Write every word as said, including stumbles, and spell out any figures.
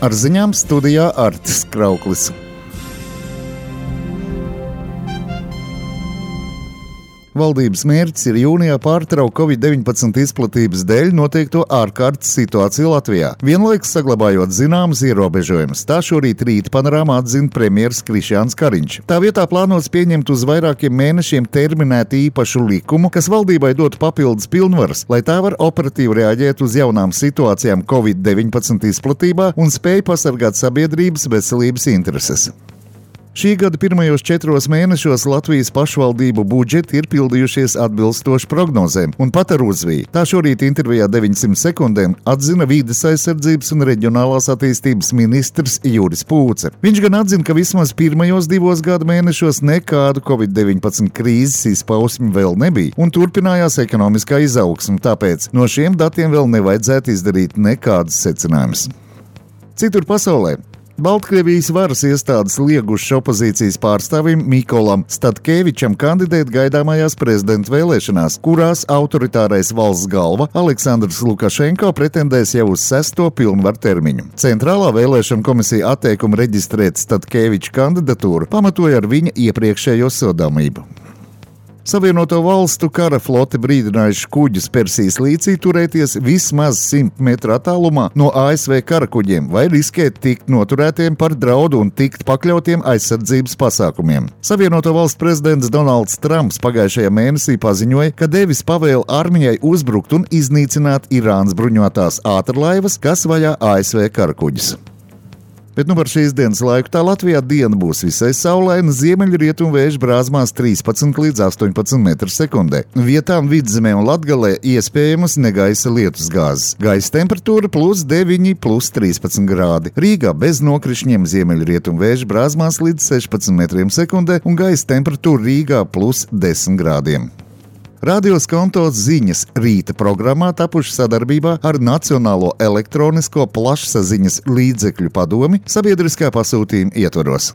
Ar ziņām studijā Artis Krauklis. Valdības mērķis ir jūnijā pārtraukt covid deviņpadsmit izplatības dēļ noteikto ārkārtas situāciju Latvijā, vienlaikus saglabājot zināmas ierobežojumus. Tā šorīt Rīta panorāmā atzina premjeras Krišjāns Kariņš. Tā vietā plānots pieņemt uz vairākiem mēnešiem terminētu īpašu likumu, kas valdībai dotu papildus pilnvaras, lai tā var operatīvi reaģēt uz jaunām situācijām covid deviņpadsmit izplatībā un spēj pasargāt sabiedrības veselības intereses. Šī gada pirmajos četros mēnešos Latvijas pašvaldību budžeti ir pildījušies atbilstoši prognozēm un pat ar uzviju. Tā šorīt intervijā deviņsimt sekundēm atzina Vides aizsardzības un reģionālās attīstības ministrs Juris Pūce. Viņš gan atzina, ka vismaz pirmajos divos gada mēnešos nekādu covid deviņpadsmit krīzes izpausmi vēl nebija un turpinājās ekonomiskā izaugsme, tāpēc no šiem datiem vēl nevajadzētu izdarīt nekādus secinājumus. Citur pasaulē Baltkrievijas varas iestādes liegušas opozīcijas pārstāvim Mikolam Statkevičam kandidēt gaidāmajās prezidenta vēlēšanās, kurās autoritārais valsts galva Aleksandrs Lukašenko pretendēs jau uz sesto pilnvaru termiņu. Centrālā vēlēšana komisija atteikumu reģistrēt Statkeviča kandidatūru pamatoja ar viņa iepriekšējo sodāmību. Savienoto valstu kara flote brīdinājuši kuģus Persijas līcī turēties vismaz simt metru attālumā no A S V karakuģiem vai riskēt tikt noturētiem par draudu un tikt pakļautiem aizsardzības pasākumiem. Savienoto valstu prezidents Donalds Trumps pagājušajā mēnesī paziņoja, ka devis pavēli armijai uzbrukt un iznīcināt Irānas bruņotās ātrlaivas, kas vajā A S V karakuģus. Bet nu par šīs dienas laiku tā Latvijā diena būs visai saulaina, ziemeļrietumu vēju brāzmās trīspadsmit līdz astoņpadsmit metru sekundē. Vietām Vidzemē un Latgalē iespējamas negaisa lietusgāzes. Gaisa temperatūra plus deviņi, plus trīspadsmit grādi. Rīgā bez nokrišņiem ziemeļrietumu vēju brāzmās līdz sešpadsmit metriem sekundē un gaisa temperatūra Rīgā plus desmit grādiem. Radio Skonto ziņas rīta programmā tapuši sadarbībā ar Nacionālo elektronisko plašsaziņas līdzekļu padomi sabiedriskā pasūtījuma ietvaros.